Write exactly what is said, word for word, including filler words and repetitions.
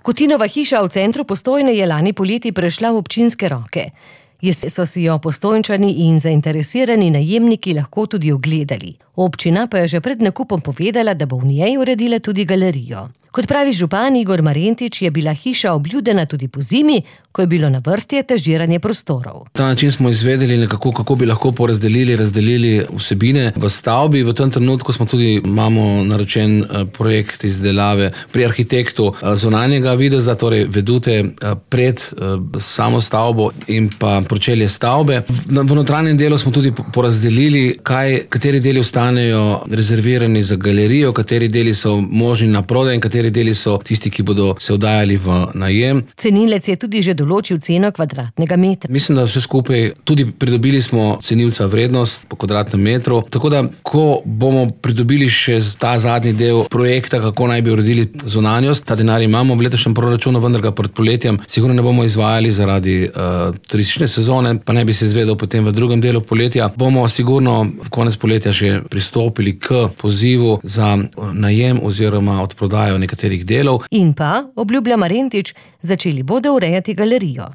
Kutinova hiša v centru Postojne je lani poleti prešla v občinske roke. Jeseni so si jo Postojnčani in zainteresirani najemniki lahko tudi ogledali. Občina pa je že pred nakupom povedala, da bo v njej uredila tudi galerijo. Kot pravi župan Igor Marentič, je bila hiša obljudena tudi pozimi, ko je bilo na vrsti etažiranje prostorov. Ta način smo izvedeli nekako, kako bi lahko porazdelili, razdelili vsebine v stavbi. V tem trenutku smo tudi, imamo naročen projekt izdelave pri arhitektu zunanjega videza, torej vedute pred samo stavbo in pa pročelje stavbe. V notranjem delu smo tudi porazdelili, kaj, kateri deli ostanejo rezervirani za galerijo, kateri deli so možni na prodaj in kateri deli so tisti, ki bodo se oddajali v najem. Cenilec je tudi že določil ceno kvadratnega metra. Mislim, da vse skupaj tudi pridobili smo cenilca vrednost po kvadratnem metru, tako da, ko bomo pridobili še ta zadnji del projekta, kako naj bi uredili zunanjost, ta denar imamo v letošnjem proračunu, vendar ga pred poletjem sigurno ne bomo izvajali zaradi uh, turistične sezone, pa naj bi se izvedel potem v drugem delu poletja. Bomo sigurno v konec poletja že pristopili k pozivu za najem oziroma odprodajo nekaterih delov. In pa, obljublja Marentič, začeli bodo urejati galerijo.